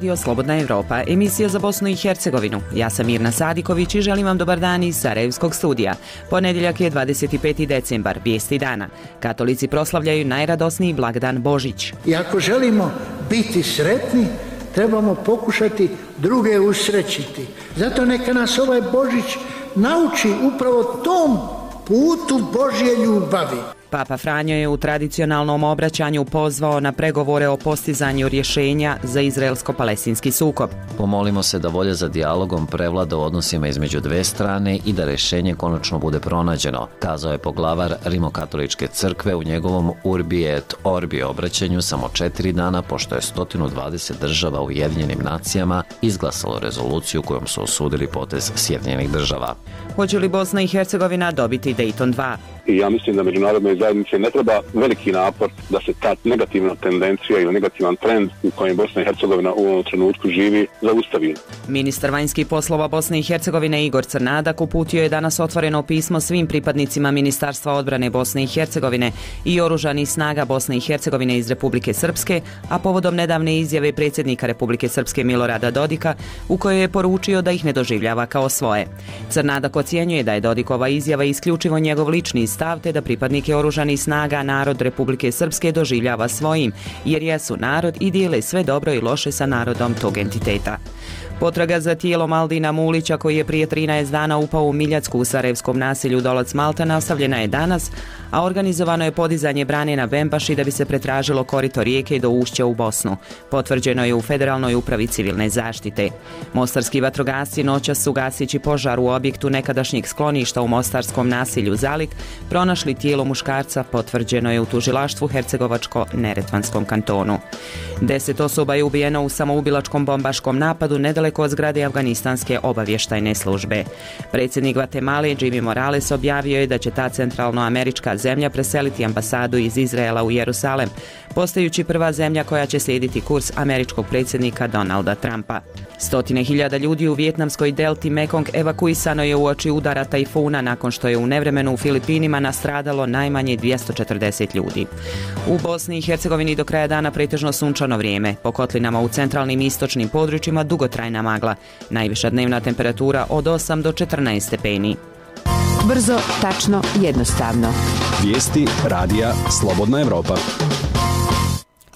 Radio Slobodna Evropa, emisija za Bosnu i Hercegovinu. Ja sam Mirna Sadiković i želim vam dobar dan iz Sarajevskog studija. Ponedjeljak je 25. decembar, vijesti dana. Katolici proslavljaju najradosniji blagdan Božić. I ako želimo biti sretni, trebamo pokušati druge usrećiti. Zato neka nas ovaj Božić nauči upravo tom putu Božje ljubavi. Papa Franjo je u tradicionalnom obraćanju pozvao na pregovore o postizanju rješenja za izraelsko-palestinski sukob. Pomolimo se da volja za dijalogom prevlada u odnosima između dve strane i da rješenje konačno bude pronađeno, kazao je poglavar Rimokatoličke crkve u njegovom Urbi et Orbi obraćanju samo 4 dana pošto je 120 država u Ujedinjenim nacijama izglasalo rezoluciju kojom su osudili potez Sjedinjenih država. Hoće li Bosna i Hercegovina dobiti Dayton 2? I ja mislim da međunarodnoj zajednici ne treba veliki napor da se ta negativna tendencija ili negativan trend u kojem Bosna i Hercegovina u ovom trenutku živi zaustavi. Ministar vanjskih poslova Bosne i Hercegovine Igor Crnadak uputio je danas otvoreno pismo svim pripadnicima Ministarstva odbrane Bosne i Hercegovine i oružanih snaga Bosne i Hercegovine iz Republike Srpske, a povodom nedavne izjave predsjednika Republike Srpske Milorada Dodika u kojoj je poručio da ih ne doživljava kao svoje. Crnadak ocjenjuje da je Dodikova izjava isključivo njegov lični stav te da pripadnike oružanih snaga narod Republike Srpske doživljava svojim, jer jesu narod i dijele sve dobro i loše sa narodom tog entiteta. Potraga za tijelom Aldina Mulića, koji je prije 13 dana upao u Miljacku u sarajevskom naselju Dolac Malta, nastavljena je danas, a organizovano je podizanje brane na Vempaši da bi se pretražilo korito rijeke do ušća u Bosnu. Potvrđeno je u Federalnoj upravi civilne zaštite. Mostarski vatrogasci noćas su gasići požar u objektu nekadašnjeg skloništa u mostarskom naselju Zalik pronašli tijelo muškarca, potvrđeno je u tužilaštvu Hercegovačko-Neretvanskom kantonu. 10 osoba je ubijeno u samoubilačkom bombaškom napadu nedaleko od zgrade Afganistanske obavještajne službe. Predsjednik Gvatemale Jimmy Morales objavio je da će ta centralnoamerička zemlja preseliti ambasadu iz Izraela u Jerusalem, postajući prva zemlja koja će slijediti kurs američkog predsjednika Donalda Trumpa. Stotine hiljada ljudi u vijetnamskoj delti Mekong evakuisano je uoči udara tajfuna nakon što je u nevremenu u Filipinima nastradalo najmanje 240 ljudi. U Bosni i Hercegovini do kraja dana pretežno sunčano vrijeme, po kotlinama u centralnim i istočnim područjima dugotrajna magla, najviša dnevna temperatura od 8 do 14 stepeni. Brzo, tačno, jednostavno. Vijesti radija Slobodna Evropa.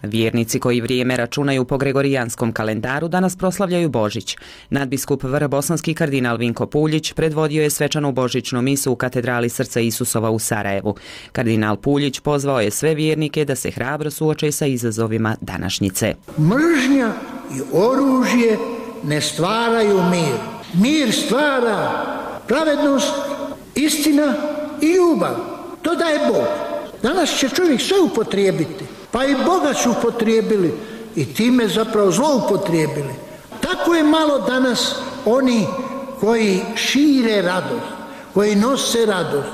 Vjernici koji vrijeme računaju po gregorijanskom kalendaru danas proslavljaju Božić. Nadbiskup vrbosanski kardinal Vinko Puljić predvodio je svečanu božićnu misu u katedrali Srca Isusova u Sarajevu. Kardinal Puljić pozvao je sve vjernike da se hrabro suoče sa izazovima današnjice. Mržnja i oružje ne stvaraju mir. Mir stvara pravednost, istina i ljubav. To daje Bog. Danas će čovjek sve upotrijebiti. Pa i Boga su upotrijebili i time zapravo zloupotrijebili. Tako je malo danas oni koji šire radost, koji nose radost.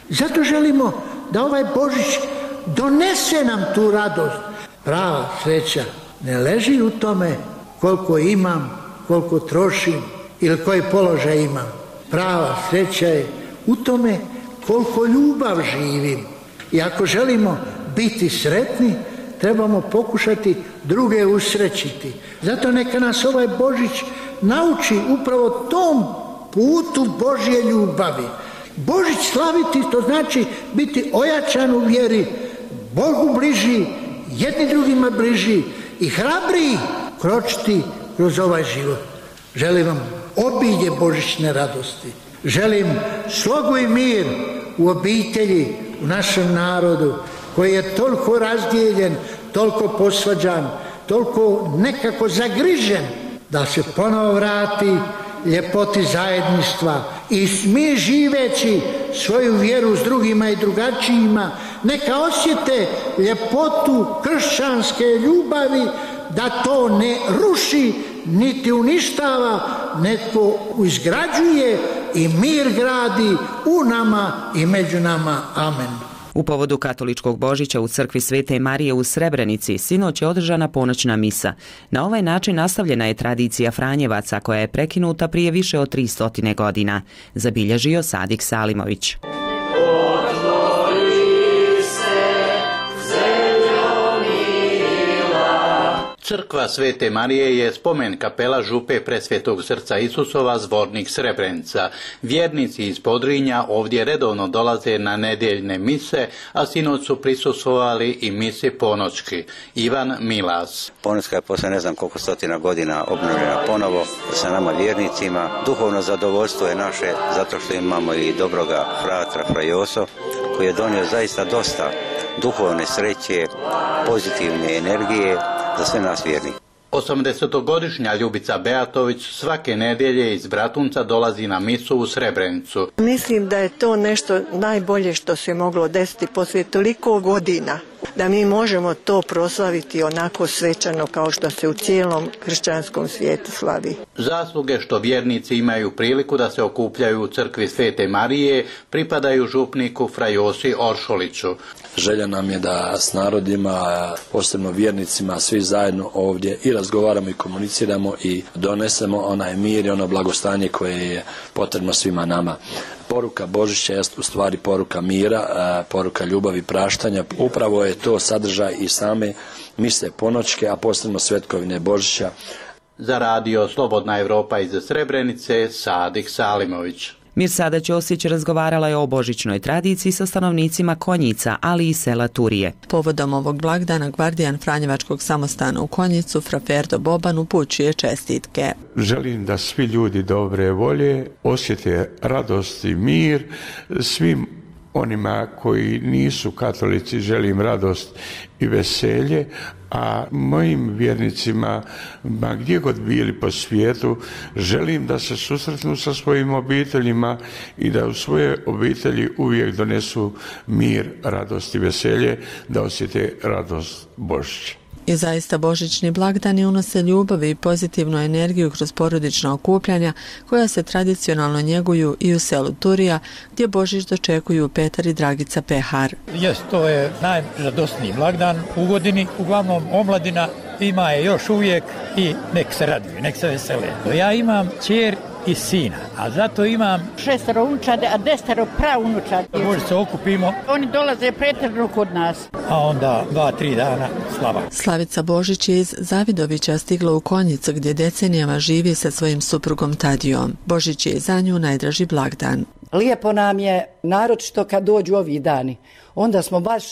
Zato želimo da ovaj Božić donese nam tu radost. Prava sreća ne leži u tome koliko imam, koliko trošim ili koji položaj imam. Prava sreća je u tome koliko ljubav živim. I ako želimo biti sretni, trebamo pokušati druge usrećiti. Zato neka nas ovaj Božić nauči upravo tom putu Božje ljubavi. Božić slaviti, to znači biti ojačan u vjeri, Bogu bliži, jedni drugima bliži i hrabriji kročiti kroz ovaj život. Želim vam obilje božićne radosti. Želim slogu i mir u obitelji, u našem narodu, koji je toliko razdijeljen, toliko posvađan, toliko nekako zagrižen, da se ponovo vrati ljepoti zajedništva i mi živeći svoju vjeru s drugima i drugačijima, neka osjete ljepotu kršćanske ljubavi, da to ne ruši niti uništava, nego izgrađuje i mir gradi u nama i među nama. Amen. U povodu katoličkog Božića u crkvi Svete Marije u Srebrenici sinoć je održana ponoćna misa. Na ovaj način nastavljena je tradicija Franjevaca koja je prekinuta prije više od 300 godina, zabilježio Sadik Salimović. Crkva Svete Marije je spomen kapela župe Presvetog srca Isusova Zvornik Srebrenica. Vjernici iz Podrinja ovdje redovno dolaze na nedjeljne mise, a sinoć su prisustvovali i misi ponoćki. Ivan Milas. Ponoćka je posle ne znam koliko stotina godina obnovljena ponovo sa nama vjernicima. Duhovno zadovoljstvo je naše zato što imamo i dobroga fratra Frajoso koji je donio zaista dosta duhovne sreće, pozitivne energije za sve nas vjerni. 80-godišnja Ljubica Beatović svake nedjelje iz Bratunca dolazi na misu u Srebrenicu. Mislim da je to nešto najbolje što se moglo desiti poslije toliko godina, da mi možemo to proslaviti onako svečano kao što se u cijelom kršćanskom svijetu slavi. Zasluge što vjernici imaju priliku da se okupljaju u crkvi Svete Marije pripadaju župniku Frajosi Oršoliću. Želja nam je da s narodima, posebno vjernicima, svi zajedno ovdje i razgovaramo i komuniciramo i donesemo onaj mir i ono blagostanje koje je potrebno svima nama. Poruka Božića je u stvari poruka mira, poruka ljubavi, praštanja. Upravo je to sadržaj i same mise ponoćke, a posebno svetkovine Božića. Za radio Slobodna Evropa iz Srebrenice, Sadik Salimović. Mirsada Ćosić razgovarala je o božićnoj tradiciji sa stanovnicima Konjica, ali i sela Turije. Povodom ovog blagdana gvardijan Franjevačkog samostana u Konjicu, fra Ferdo Boban, upućuje čestitke. Želim da svi ljudi dobre volje osjete radost i mir. Svim onima koji nisu katolici želim radost i veselje, a mojim vjernicima, ma gdje god bili po svijetu, želim da se susretnu sa svojim obiteljima i da u svoje obitelji uvijek donesu mir, radost i veselje, da osjete radost Božića. I zaista božićni blagdani unose ljubav i pozitivnu energiju kroz porodična okupljanja koja se tradicionalno njeguju i u selu Turija, gdje Božić dočekuju Petar i Dragica Pehar. To je najradosniji blagdan u godini, uglavnom omladina ima je još uvijek i nek se raduju, nek se vesele. Ja imam ćer i sina, a zato imam 6 unučadi, a 10 praunučadi. Možda se okupimo. Oni dolaze pretežno kod nas. A onda 2-3 dana slava. Slavica Božić je iz Zavidovića stigla u Konjicu, gdje decenijama živi sa svojim suprugom Tadijom. Božić je za nju najdraži blagdan. Lijepo nam je, naročito kad dođu ovi dani. Onda smo baš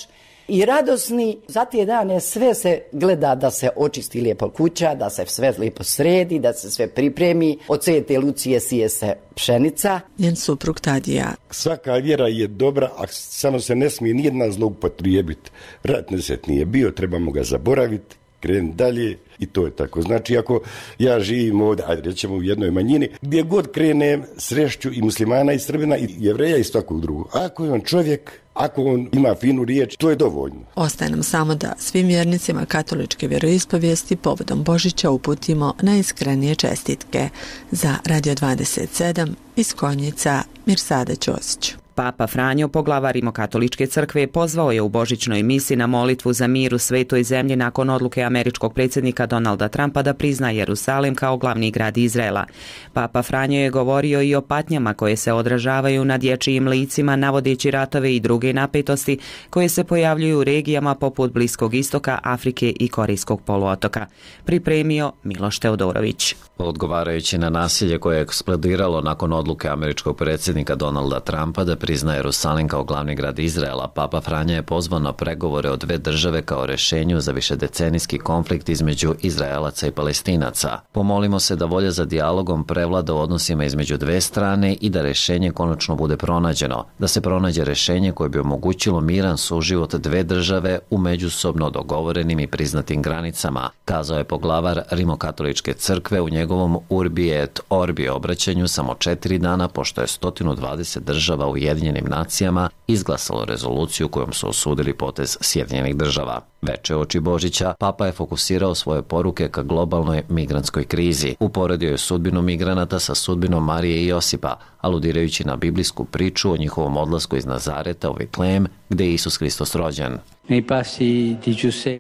i radosni. Za te dane sve se gleda da se očisti lijepo kuća, da se sve lijepo sredi, da se sve pripremi. Od Svete Lucije sije se pšenica. Njen suprug Tadija. Svaka vjera je dobra, a samo se ne smije nijedna zloupotrijebiti. Rat nesret nije bio, trebamo ga zaboraviti, krenuti dalje i to je tako. Znači, ako ja živim ovdje, ajde rećemo u jednoj manjini, gdje god krenem srešću i muslimana i Srbina i Jevreja i svakog drugog. Ako je on čovjek, ako on ima finu riječ, to je dovoljno. Ostaje nam samo da svim vjernicima katoličke vjeroispovijesti povodom Božića uputimo najiskrenije čestitke. Za Radio 27 iz Konjica, Mirsada Ćosić. Papa Franjo, poglavar Rimokatoličke crkve, pozvao je u božićnoj misi na molitvu za mir u svetoj zemlji nakon odluke američkog predsjednika Donalda Trumpa da prizna Jerusalim kao glavni grad Izraela. Papa Franjo je govorio i o patnjama koje se odražavaju na dječjim licima, navodeći ratove i druge napetosti koje se pojavljuju u regijama poput Bliskog istoka, Afrike i Korejskog poluotoka. Pripremio Miloš Teodorović. Odgovarajući na nasilje koje je eksplodiralo nakon odluke američkog predsjednika Donalda Trumpa da prizna Jerusalim kao glavni grad Izraela, Papa Franja je pozvao na pregovore o dve države kao rješenju za višedecenijski konflikt između Izraelaca i Palestinaca. Pomolimo se da volja za dijalogom prevlada u odnosima između dve strane i da rješenje konačno bude pronađeno, da se pronađe rješenje koje bi omogućilo miran suživot dve države u međusobno dogovorenim i priznatim granicama, kazao je poglavar Rimokatoličke crkve u njegovom Urbi et Orbi obraćanju samo 4 dana pošto je 120 država Ujedinjenim nacijama izglasalo rezoluciju kojom su osudili potez Sjedinjenih država. Veče oči Božića, Papa je fokusirao svoje poruke ka globalnoj migrantskoj krizi. Uporedio je sudbinu migranata sa sudbinom Marije i Josipa, aludirajući na biblijsku priču o njihovom odlasku iz Nazareta u Vitlejem, gde je Isus Hristos rođen.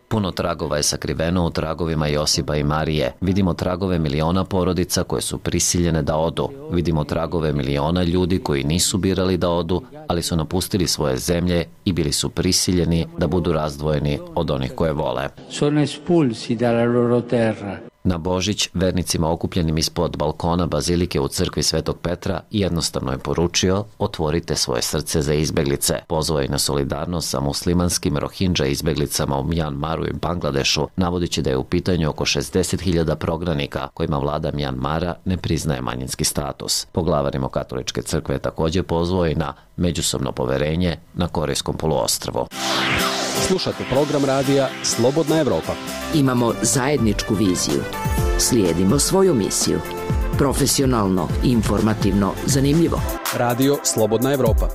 Puno tragova je sakriveno u tragovima Josipa i Marije. Vidimo tragove miliona porodica koje su prisiljene da odu. Vidimo tragove miliona ljudi koji nisu birali da odu, ali su napustili svoje zemlje i bili su prisiljeni da budu razdvojeni od onih koje vole. Na Božić, vernicima okupljenim ispod balkona bazilike u crkvi Svetog Petra jednostavno je poručio: otvorite svoje srce za izbeglice. Pozvao je na solidarnost sa muslimanskim Rohingya izbeglicama u Mjanmaru i Bangladešu, navodići da je u pitanju oko 60.000 prognanika kojima vlada Mjanmara ne priznaje manjinski status. Poglavar Rimokatoličke crkve je također pozvao i na međusobno poverenje na Korejskom poluostrvu. Slušate program radija Slobodna Evropa. Imamo zajedničku viziju. Slijedimo svoju misiju. Profesionalno, informativno, zanimljivo. Radio Slobodna Evropa.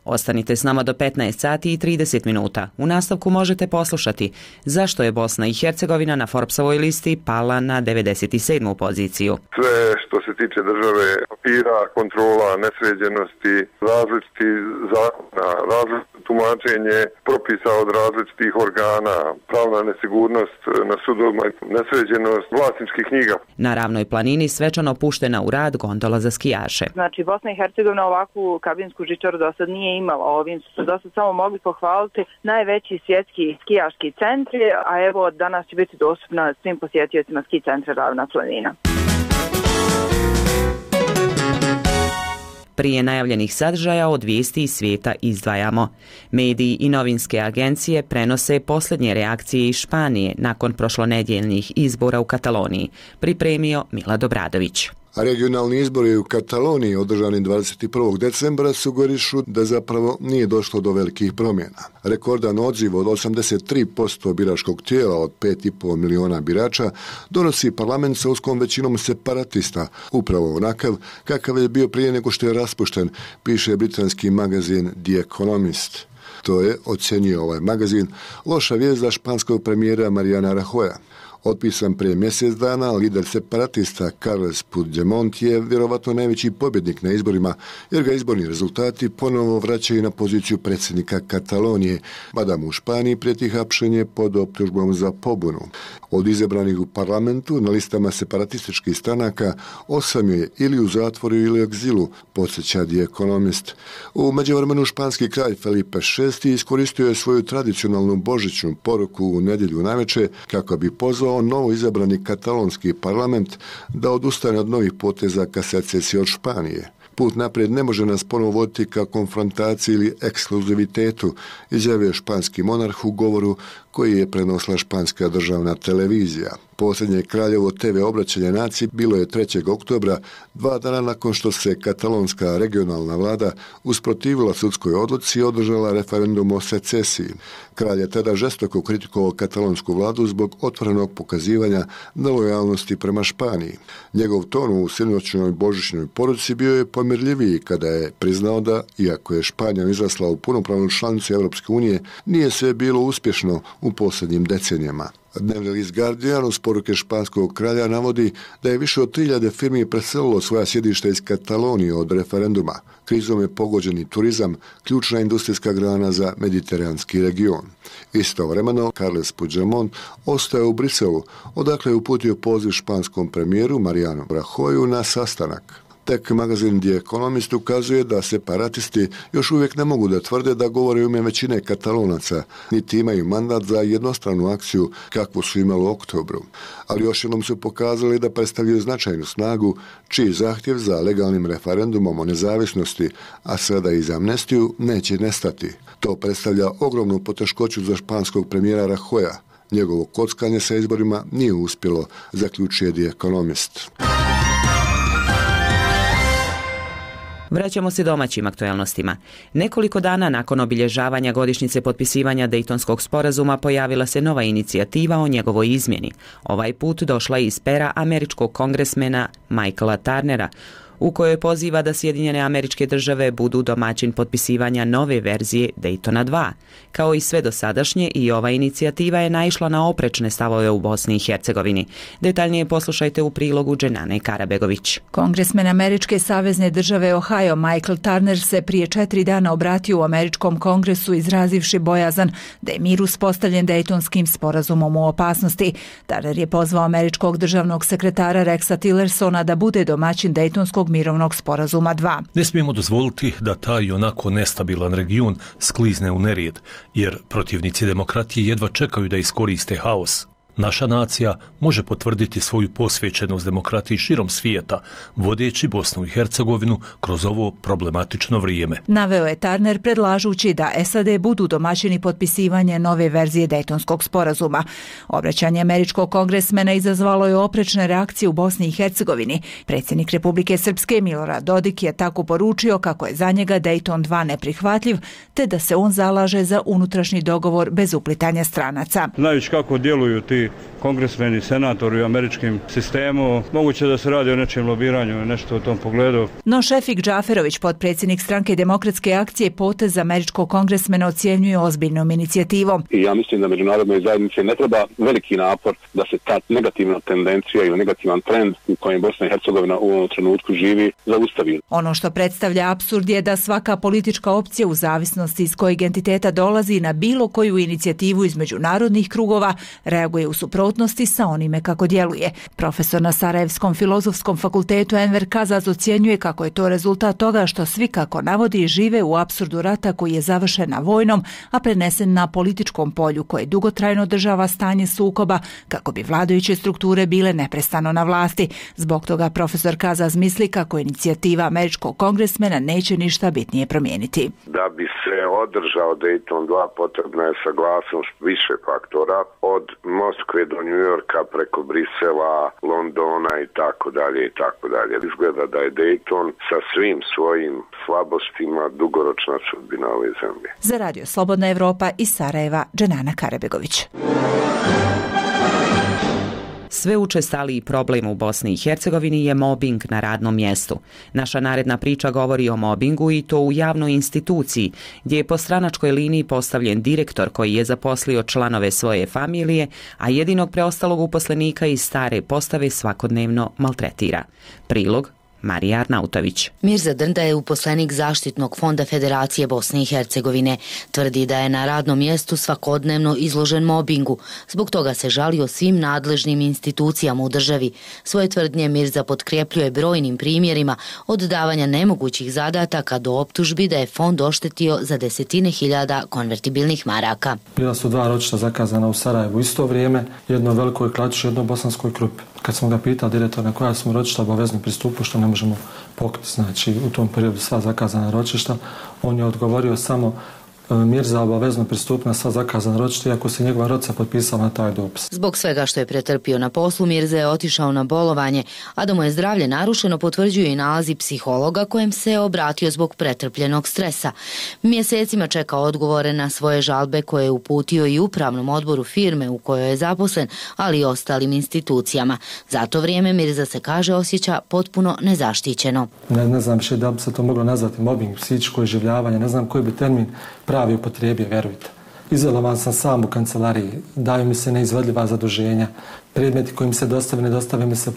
Ostanite s nama do 15 sati i 30 minuta. U nastavku možete poslušati zašto je Bosna i Hercegovina na Forbesovoj listi pala na 97. poziciju. Sve što se tiče države, papira, kontrola, nesređenosti, različiti zakona, različito tumačenje propisa od različitih organa, pravna nesigurnost na sudovima, nesređenost vlasničkih knjiga. Na Ravnoj planini svečano puštena u rad gondola za skijaše. Znači, Bosna i Hercegovina ovakvu kabinsku žičaru do sad nije imala. Ovim su do sad samo mogli pohvaliti najveći svjetski skijaški centri, a evo danas će biti dostupna svim posjetiocima ski centra Ravna planina. Prije najavljenih sadržaja od vijesti iz svijeta izdvajamo. Mediji i novinske agencije prenose posljednje reakcije iz Španije nakon prošlonedjeljnih izbora u Kataloniji, pripremio Milad Obradović. A regionalni izbori u Kataloniji održani 21. decembra sugerišu da zapravo nije došlo do velikih promjena. Rekordan odziv od 83% biračkog tijela od 5,5 miliona birača donosi parlament sa uskom većinom separatista, upravo onakav kakav je bio prije nego što je raspušten, piše britanski magazin The Economist. To je, ocjenjuje ovaj magazin, loša vijest za španskog premijera Mariana Rajoya. Otpisan prije mjesec dana, lider separatista Carles Puigdemont je vjerovatno najveći pobjednik na izborima, jer ga izborni rezultati ponovo vraćaju na poziciju predsjednika Katalonije, mada mu u Španiji prijeti hapšenje pod optužbom za pobunu. Od izabranih u parlamentu na listama separatističkih stranaka 8 je ili u zatvoru ili u egzilu, podsjeća The Economist. U međuvremenu španski kralj Felipe VI iskoristio je svoju tradicionalnu božićnu poruku u nedjelju navečer kako bi pozvao novo izabrani katalonski parlament da odustane od novih poteza ka secesiji od Španije. Put naprijed ne može nas ponovo voditi ka konfrontaciji ili ekskluzivitetu, izjavio španski monarh u govoru koji je prenosila španska državna televizija. Posljednje kraljevo TV obraćanje naciji bilo je 3. oktobra, 2 dana nakon što se katalonska regionalna vlada usprotivila sudskoj odluci i održala referendum o secesiji. Kralj je tada žestoko kritikovao katalonsku vladu zbog otvorenog pokazivanja nelojalnosti prema Španiji. Njegov ton u sinoćnoj božićnoj poruci bio je pomirljiviji kada je priznao da, iako je Španija izrasla u punopravnu članicu Europske unije, nije sve bilo uspješno u posljednjim decenijama. Dnevni list Guardian uz poruke španskog kralja navodi da je više od 3000 firmi preselilo svoja sjedišta iz Katalonije od referenduma. Krizom je pogođeni turizam, ključna industrijska grana za mediteranski region. Istovremeno, Carles Puigdemont ostaje u Briselu, odakle je uputio poziv španskom premijeru Marianu Rajoyu na sastanak. Tek magazin The Economist ukazuje da separatisti još uvijek ne mogu da tvrde da govore u ime većine Katalonaca, niti imaju mandat za jednostranu akciju kakvu su imali u oktobru. Ali još jednom su pokazali da predstavljaju značajnu snagu, čiji zahtjev za legalnim referendumom o nezavisnosti, a sada i za amnestiju, neće nestati. To predstavlja ogromnu poteškoću za španskog premijera Rajoya. Njegovo kockanje sa izborima nije uspjelo, zaključuje The Economist. Vraćamo se domaćim aktualnostima. Nekoliko dana nakon obilježavanja godišnjice potpisivanja Dejtonskog sporazuma pojavila se nova inicijativa o njegovoj izmjeni. Ovaj put došla iz pera američkog kongresmena Michaela Turnera. u kojoj poziva da Sjedinjene Američke Države budu domaćin potpisivanja nove verzije Daytona 2. Kao i sve dosadašnje, i ova inicijativa je naišla na oprečne stavove u Bosni i Hercegovini. Detaljnije poslušajte u prilogu Dženane Karabegović. Kongresmen Američke savezne države Ohio Michael Turner se prije 4 dana obratio u Američkom kongresu izrazivši bojazan da je mir uspostavljen Daytonskim sporazumom u opasnosti. Turner je pozvao američkog državnog sekretara Rexa Tillersona da bude domaćin Daytonskog mirovnog sporazuma 2. Ne smijemo dozvoliti da taj onako nestabilan region sklizne u nerijed, jer protivnici demokratije jedva čekaju da iskoriste haos. Naša nacija može potvrditi svoju posvećenost demokratiji širom svijeta, vodeći Bosnu i Hercegovinu kroz ovo problematično vrijeme. Naveo je Turner predlažući da SAD budu domaćini potpisivanje nove verzije Daytonskog sporazuma. Obraćanje američkog kongresmena izazvalo je oprečne reakcije u Bosni i Hercegovini. Predsjednik Republike Srpske Milorad Dodik je tako poručio kako je za njega Dayton 2 neprihvatljiv, te da se on zalaže za unutrašnji dogovor bez uplitanja stranaca. Znajući kako djeluju ti kongresmeni, senatori u američkim sistemu, moguće da se radi o nečem lobiranju, nešto u tom pogledu. No Šefik Džaferović, potpredsjednik stranke Demokratske akcije, potez američkog kongresmena ocjenjuje ozbiljnom inicijativom. I ja mislim da međunarodnoj zajednici ne treba veliki napor da se ta negativna tendencija ili negativan trend u kojem Bosna i Hercegovina u ovom trenutku živi zaustavi. Ono što predstavlja apsurd je da svaka politička opcija u zavisnosti iz kojeg entiteta dolazi na bilo koju inicijativu iz međunarodnih krugova reaguje u suprotnosti sa onime kako djeluje. Profesor na Sarajevskom filozofskom fakultetu Enver Kazaz ocjenjuje kako je to rezultat toga što svi, kako navodi, žive u apsurdu rata koji je završen na vojnom, a prenesen na političkom polju koje dugotrajno održava stanje sukoba kako bi vladajuće strukture bile neprestano na vlasti. Zbog toga profesor Kazaz misli kako inicijativa američkog kongresmena neće ništa bitnije promijeniti. Da bi se održao Dayton 2 potrebna je saglasnost više faktora, od Moskve do New Yorka, preko Brisela, Londona i tako dalje i tako dalje. Izgleda da je Dayton sa svim svojim slabostima dugoročna sudbina ove zemlje. Za Radio Slobodna Evropa iz Sarajeva, Dženana Karabegović. Sve učestaliji problem u Bosni i Hercegovini je mobing na radnom mjestu. Naša naredna priča govori o mobingu, i to u javnoj instituciji, gdje je po stranačkoj liniji postavljen direktor koji je zaposlio članove svoje familije, a jedinog preostalog uposlenika iz stare postave svakodnevno maltretira. Prilog Marija Arnautović. Mirza Drnda je uposlenik Zaštitnog fonda Federacije Bosne i Hercegovine. Tvrdi da je na radnom mjestu svakodnevno izložen mobingu. Zbog toga se žalio svim nadležnim institucijama u državi. Svoje tvrdnje Mirza potkrepljuje brojnim primjerima, od davanja nemogućih zadataka do optužbi da je fond oštetio za desetine hiljada konvertibilnih maraka. Bila su 2 ročišta zakazana u Sarajevu isto vrijeme, jedno velikoj Klaču, jedno bosanskoj Krupi. Kad smo ga pitali direktor na koja smo ročišta obavezni pristupu, što ne možemo pokriti, znači u tom periodu sva zakazana ročišta, on je odgovorio samo Mirza obavezno pristupi na sva zakazana ročišta, iako se njegova rodca potpisala na taj dopis. Zbog svega što je pretrpio na poslu, Mirza je otišao na bolovanje, a da mu je zdravlje narušeno potvrđuju i nalazi psihologa kojem se je obratio zbog pretrpljenog stresa. Mjesecima čeka odgovore na svoje žalbe koje je uputio i upravnom odboru firme u kojoj je zaposlen, ali i ostalim institucijama. Za to vrijeme Mirza se, kaže, osjeća potpuno nezaštićeno. Ne znam še da bi se to moglo nazvati mobbing, psihičko iživljavanje, ne znam koji bi termin pravi upotrijebio, verujte. Izolovan sam sam u kancelariji, daju mi se neizvodljiva zaduženja, predmeti koji mi se ne dostave mi se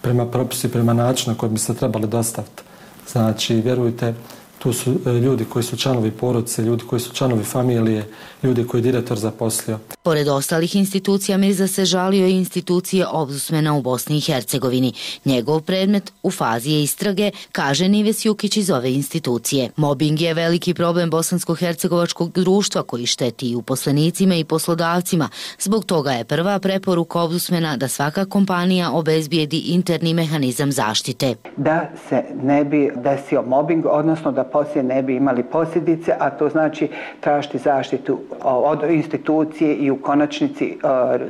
prema propisu i prema načinu koji bi se trebali dostaviti. Znači, vjerujte, tu su ljudi koji su članovi porodice, ljudi koji su članovi familije, ljudi koji je direktor zaposlio. Pored ostalih institucija, Mirza se žalio i institucije Ombudsmana u Bosni i Hercegovini. Njegov predmet u fazi je istrage, kaže Nives Jukić iz ove institucije. Mobing je veliki problem bosansko-hercegovačkog društva koji šteti i uposlenicima i poslodavcima. Zbog toga je prva preporuka Ombudsmana da svaka kompanija obezbijedi interni mehanizam zaštite. Da se ne bi desio mobing, odnosno da poslije ne bi imali posljedice, a to znači tražiti zaštitu od institucije i u konačnici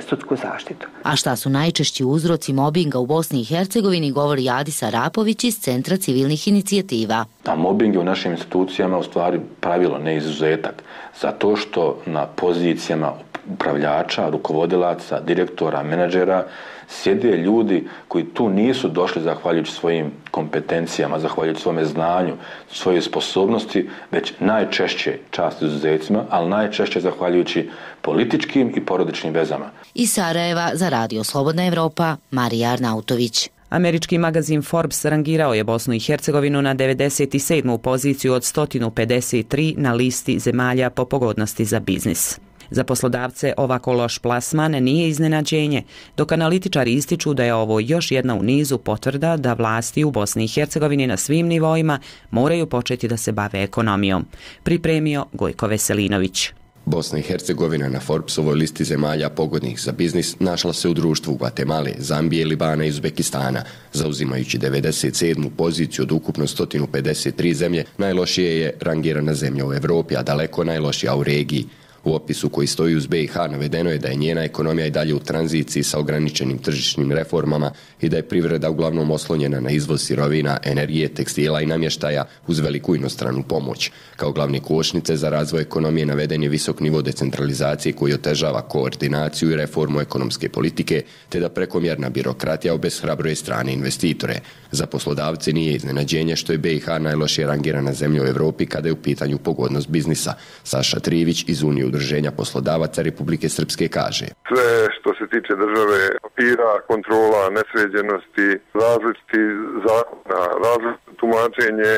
sudsku zaštitu. A šta su najčešći uzroci mobinga u Bosni i Hercegovini, govori Adis Arapović iz Centra civilnih inicijativa. A mobing je u našim institucijama u stvari pravilo, ne izuzetak, zato što na pozicijama upravljača, rukovodilaca, direktora, menadžera, sjede ljudi koji tu nisu došli zahvaljujući svojim kompetencijama, zahvaljujući svome znanju, svojoj sposobnosti, već najčešće, čast izuzecima, ali najčešće zahvaljujući političkim i porodičnim vezama. Iz Sarajeva za Radio Slobodna Evropa, Marija Arnautović. Američki magazin Forbes rangirao je Bosnu i Hercegovinu na 97. poziciju od 153 na listi zemalja po pogodnosti za biznis. Za poslodavce ovako loš plasman nije iznenađenje, dok analitičari ističu da je ovo još jedna u nizu potvrda da vlasti u Bosni i Hercegovini na svim nivoima moraju početi da se bave ekonomijom. Pripremio Gojko Veselinović. Bosna i Hercegovina na Forbesovoj listi zemalja pogodnih za biznis našla se u društvu Gvatemale, Zambije, Libana i Uzbekistana. Zauzimajući 97. poziciju od ukupno 153 zemlje, najlošije je rangirana zemlja u Evropi, a daleko najlošija u regiji. U opisu koji stoji uz BiH navedeno je da je njena ekonomija i dalje u tranziciji sa ograničenim tržišnim reformama i da je privreda uglavnom oslonjena na izvoz sirovina, energije, tekstila i namještaja uz veliku inostranu pomoć. Kao glavne kočnice za razvoj ekonomije naveden je visok nivo decentralizacije koji otežava koordinaciju i reformu ekonomske politike, te da prekomjerna birokratija obeshrabruje strane investitore. Za poslodavce nije iznenađenje što je BiH najlošije rangirana zemlja u Evropi kada je u pitanju pogodnost biznisa. Saša Trivić iz Unije udruženja poslodavaca Republike Srpske kaže: Sve što se tiče države, papira, kontrola, nesređenosti, različiti zakona, različito tumačenje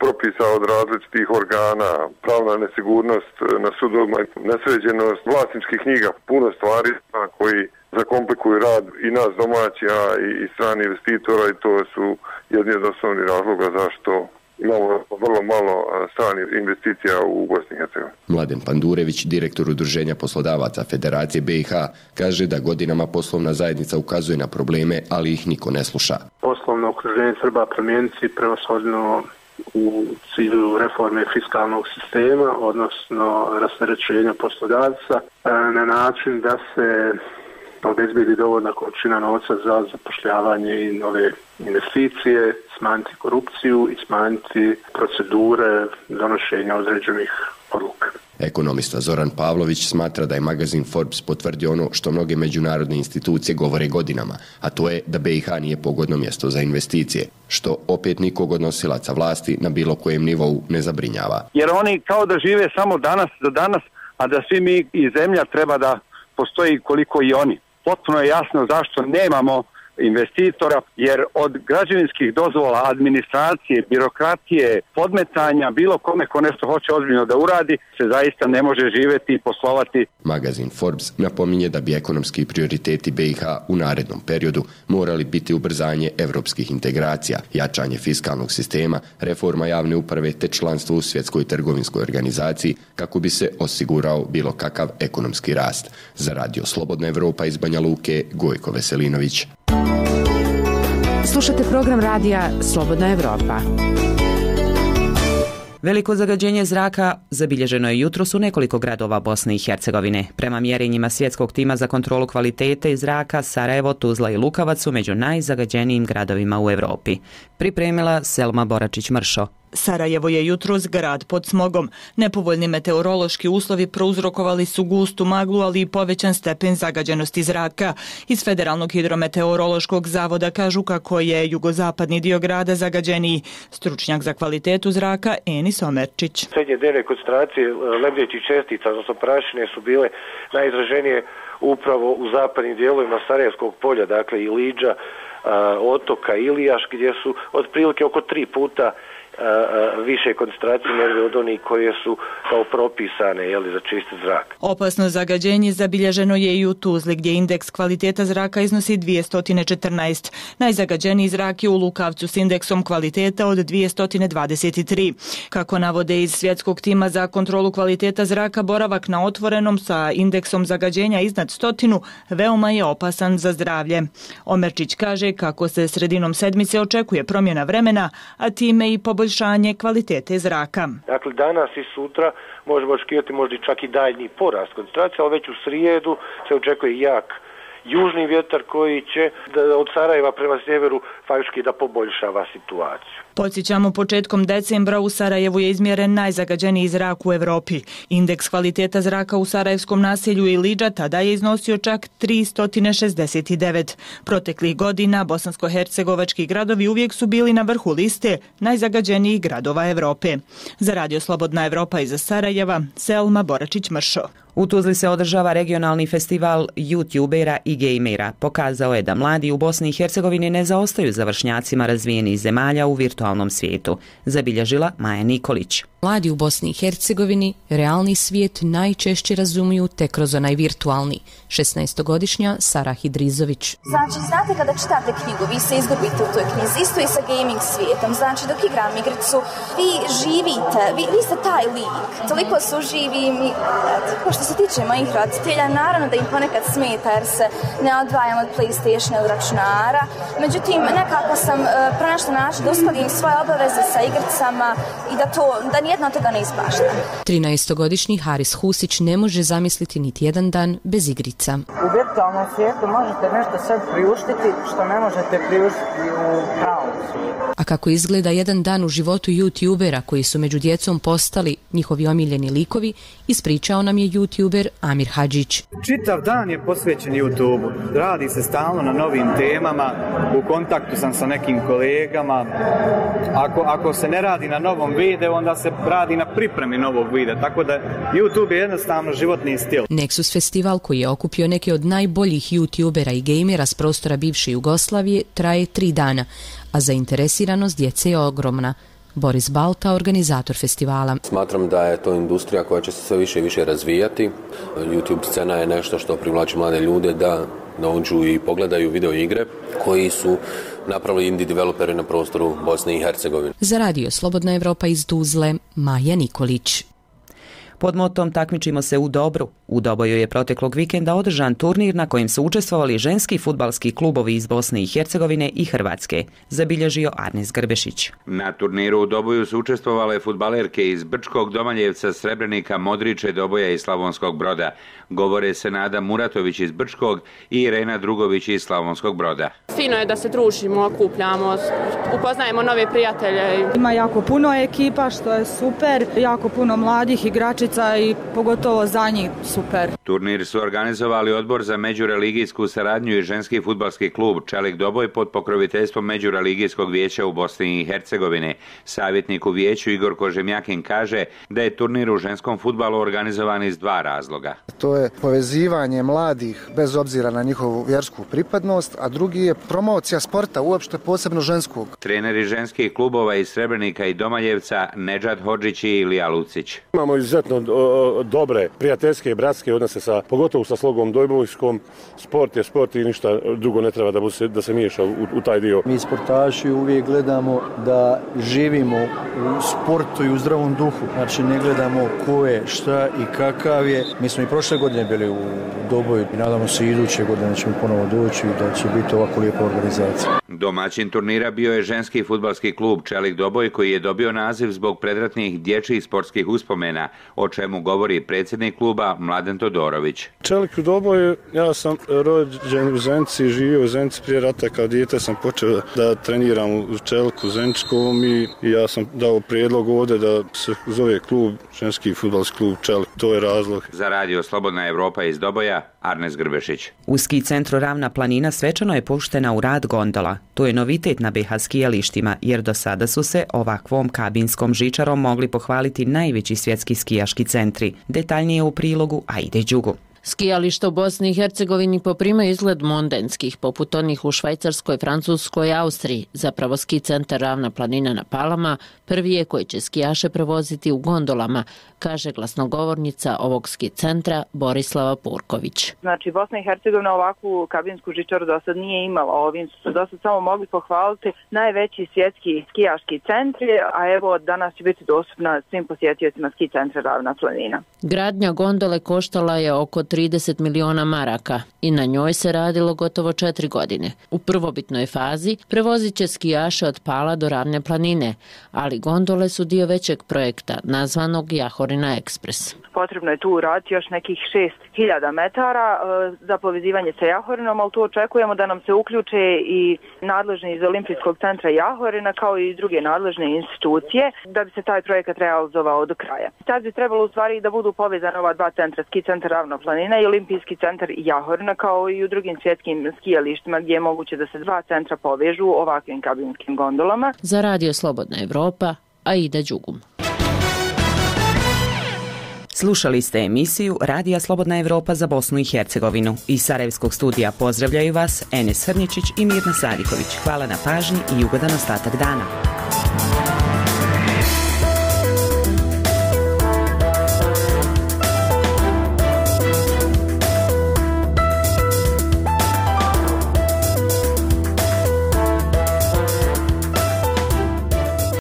propisa od različitih organa, pravna nesigurnost na sudovima, nesređenost vlasničkih knjiga, puno stvari koji zakomplikuju rad i nas domaća i strani investitora i to su jedni od osnovnih razloga zašto imamo vrlo malo stranih investicija u Bosni i Hercegovini. Mladen Pandurević, direktor udruženja poslodavaca Federacije BiH, kaže da godinama poslovna zajednica ukazuje na probleme, ali ih niko ne sluša. Poslovno okruženje treba promijeniti prevashodno u cilju reforme fiskalnog sistema, odnosno rasterećenja poslodavca na način da se obezbedi dovoljna količina novca za zapošljavanje i nove investicije, smanjiti korupciju i smanjiti procedure donošenja određenih odluka. Ekonomista Zoran Pavlović smatra da je magazin Forbes potvrdio ono što mnoge međunarodne institucije govore godinama, a to je da BiH nije pogodno mjesto za investicije, što opet nikog od nosilaca vlasti na bilo kojem nivou ne zabrinjava. Jer oni kao da žive samo danas do danas, a da svi mi i zemlja treba da postoji koliko i oni. Potpuno je jasno zašto nemamo investitora, jer od građevinskih dozvola, administracije, birokratije, podmetanja, bilo kome ko nešto hoće ozbiljno da uradi, se zaista ne može živjeti i poslovati. Magazin Forbes napominje da bi ekonomski prioriteti BiH u narednom periodu morali biti ubrzanje evropskih integracija, jačanje fiskalnog sistema, reforma javne uprave te članstvo u Svjetskoj trgovinskoj organizaciji kako bi se osigurao bilo kakav ekonomski rast. Za Radio Slobodna Evropa iz Banja Luke, Gojko Veselinović. Slušate program radija Slobodna Evropa. Veliko zagađenje zraka zabilježeno je jutros u nekoliko gradova Bosne i Hercegovine. Prema mjerenjima Svjetskog tima za kontrolu kvalitete zraka, Sarajevo, Tuzla i Lukavac su među najzagađenijim gradovima u Evropi. Pripremila Selma Boračić-Mršo. Sarajevo je jutros grad pod smogom. Nepovoljni meteorološki uslovi prouzrokovali su gustu maglu, ali i povećan stepen zagađenosti zraka. Iz Federalnog hidrometeorološkog zavoda kažu kako je jugozapadni dio grada zagađeniji. Stručnjak za kvalitetu zraka Enis Omerčić. Srednje dnevne koncentracije lebdećih čestica, odnosno prašine, su bile najizraženije upravo u zapadnim dijelovima Sarajevskog polja, dakle i Liđa, otoka Ilijaš, gdje su otprilike oko 3 puta više koncentracije nego od onih koje su kao propisane za čist zrak. Opasno zagađenje zabilježeno je i u Tuzli, gdje indeks kvaliteta zraka iznosi 214. Najzagađeniji zrak je u Lukavcu s indeksom kvaliteta od 223. Kako navode iz Svjetskog tima za kontrolu kvaliteta zraka, boravak na otvorenom sa indeksom zagađenja iznad 100 veoma je opasan za zdravlje. Omerčić kaže kako se sredinom sedmice očekuje promjena vremena, a time i poboljšanje kvalitete zraka. Dakle, danas i sutra možemo očekivati možda čak i daljnji porast koncentracije, ali već u srijedu se očekuje južni vjetar koji će od Sarajeva prema sjeveru faktički da poboljšava situaciju. Podsjećamo, početkom decembra u Sarajevu je izmjeren najzagađeniji zrak u Europi. Indeks kvaliteta zraka u sarajevskom naselju Ilidža tada je iznosio čak 369. Proteklih godina bosansko-hercegovački gradovi uvijek su bili na vrhu liste najzagađenijih gradova Europe. Za Radio Slobodna Evropa iz Sarajeva, Selma Boračić-Mršo. U Tuzli se održava regionalni festival youtubera i gejmera. Pokazao je da mladi u Bosni i Hercegovini ne zaostaju za vršnjacima razvijenih zemalja u virtualnom svijetu, zabilježila Maja Nikolić. Mladi u Bosni i Hercegovini realni svijet najčešće razumiju te kroz onaj virtualni. 16-godišnja Sara Hidrizović. Znači, znate kada čitate knjigu, vi se izgubite u toj knjizi, isto i sa gaming svijetom. Znači, dok igram igricu, vi živite, vi ste taj lik. Toliko su živi mi. Što se tiče mojih roditelja, naravno da im ponekad smeta jer se ne odvajam od PlayStationa od računara. Međutim, nekako sam pronašla način da uskladim svoje obaveze sa igricama i da nijedno od toga ne ispašta. 13-godišnji Haris Husić ne može zamisliti niti jedan dan bez igrica. U virtualnom svijetu možete nešto sad priuštiti što ne možete priuštiti u pravom svijetu. A kako izgleda jedan dan u životu youtubera koji su među djecom postali njihovi omiljeni likovi, ispričao nam je youtuber Amir Hadžić. Čitav dan je posvećen YouTube-u. Radi se stalno na novim temama, u kontaktu sam sa nekim kolegama. Ako se ne radi na novom videu, onda se radi na pripremi novog videa, tako da YouTube je jednostavno životni stil. Nexus festival, koji je okupio neke od najboljih youtubera i gejmera s prostora bivše Jugoslavije, traje 3 dana, a zainteresiranost djece je ogromna. Boris Balta, organizator festivala. Smatram da je to industrija koja će se sve više i više razvijati. YouTube scena je nešto što privlači mlade ljude da dođu i pogledaju video igre koji su napravili indie developeri na prostoru Bosne i Hercegovine. Za Radio Slobodna Evropa iz Tuzle, Maja Nikolić. Pod motom Takmičimo se u dobru. U Doboju je proteklog vikenda održan turnir na kojem su učestvovali ženski fudbalski klubovi iz Bosne i Hercegovine i Hrvatske, zabilježio Arnes Grbešić. Na turniru u Doboju su učestvovale fudbalerke iz Brčkog, Domaljevca, Srebrenika, Modriče, Doboja i Slavonskog Broda. Govore Senada Muratović iz Brčkog i Irena Drugović iz Slavonskog Broda. Fino je da se družimo, okupljamo, upoznajemo nove prijatelje. Ima jako puno ekipa, što je super, jako puno mladih igračica i pogotovo za njih super. Turnir su organizovali Odbor za međureligijsku saradnju i ženski fudbalski klub Čelik Doboj pod pokroviteljstvom Međureligijskog vijeća u Bosni i Hercegovini. Savjetnik u vijeću Igor Kožemjakin kaže da je turnir u ženskom fudbalu organizovan iz 2 razloga. To je povezivanje mladih bez obzira na njihovu vjersku pripadnost, a drugi je promocija sporta, uopšte posebno ženskog. Treneri ženskih klubova iz Srebrenika i Domaljevca Nedžad Hodžić i Ilija Lucić. Imamo izuzetno dobre prijateljske i bratske odnose pogotovo sa Slogom Dobojskom. Sport je sport i ništa drugo ne treba da se miješa u taj dio. Mi sportaši uvijek gledamo da živimo u sportu i u zdravom duhu. Znači ne gledamo ko je, šta i kakav je. Mi smo i prošle godine bili u Doboju i nadamo se iduće godine da ćemo ponovo doći i da će biti ovako lijepa organizacija. Domaćin turnira bio je ženski fudbalski klub Čelik Doboj koji je dobio naziv zbog predratnih dječjih sportskih uspomena, o čemu govori predsjednik kluba Mladen Todorović. Čelik Doboj, ja sam rođen u Zenici, živio u Zenici prije rata, kao dijete sam počeo da treniram u Čeliku Zeničkom i ja sam dao prijedlog ovdje da se zove klub, ženski fudbalski klub Čelik, to je razlog. Za Radio Slobodna Evropa iz Doboja, Arnes Grbešić. U ski centru Ravna planina svečano je puštena u rad gondola. To je novitet na BiH skijalištima, jer do sada su se ovakvom kabinskom žičarom mogli pohvaliti najveći svjetski skijaški centri. Detaljnije u prilogu Ajde Đugu. Skijališta u Bosni i Hercegovini poprimaju izgled mondenskih, poput onih u Švajcarskoj, Francuskoj i Austriji. Zapravo ski centar Ravna planina na Palama prvi je koji će skijaše prevoziti u gondolama, kaže glasnogovornica ovog ski centra Borislava Purković. Znači, Bosna i Hercegovina ovakvu kabinsku žičaru do sad nije imala. Ovim su do sad samo mogli pohvaliti najveći svjetski skijaški centri, a evo danas će biti dostupna svim posjetiocima ski centra Ravna planina. Gradnja gondole koštala je oko 30 miliona maraka i na njoj se radilo gotovo 4 godine. U prvobitnoj fazi prevozit će skijaše od Pala do Ravne planine, ali gondole su dio većeg projekta nazvanog Jahorina Ekspres. Potrebno je tu uraditi još nekih 6 1000 metara za povezivanje sa Jahorinom, ali tu očekujemo da nam se uključe i nadležni iz Olimpijskog centra Jahorina kao i druge nadležne institucije da bi se taj projekat realizovao do kraja. Sad bi trebalo u stvari da budu povezane ova dva centra, ski centar Ravna planina i Olimpijski centar Jahorina, kao i u drugim svjetskim skijalištima gdje je moguće da se dva centra povežu ovakvim kabinskim gondolama. Za Radio Slobodna Evropa, Aida Đugum. Slušali ste emisiju Radija Slobodna Evropa za Bosnu i Hercegovinu. Iz Sarajevskog studija pozdravljaju vas Enes Hrničić i Mirna Sadiković. Hvala na pažnji i ugodan ostatak dana.